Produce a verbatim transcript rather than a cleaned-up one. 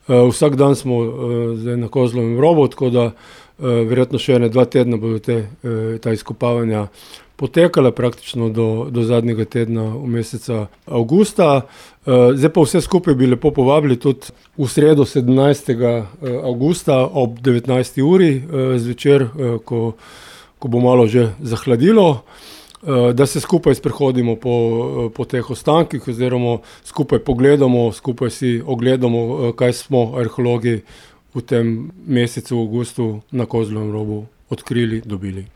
Vsak dan smo zdaj na Kozlovem robu, tako da verjetno še ene dva tedna bodo te, ta izkopavanja potekala praktično do, do zadnjega tedna v meseca avgusta. Zdaj pa vse skupaj bi lepo povabili tudi v sredo sedemnajstega avgusta ob devetnajsti uri zvečer, ko, ko bo malo že zahladilo, da se skupaj sprehodimo po, po teh ostankih oziroma skupaj pogledamo, skupaj si ogledamo, kaj smo arheologi v tem mesecu avgustu na Kozlovem robu odkrili, dobili.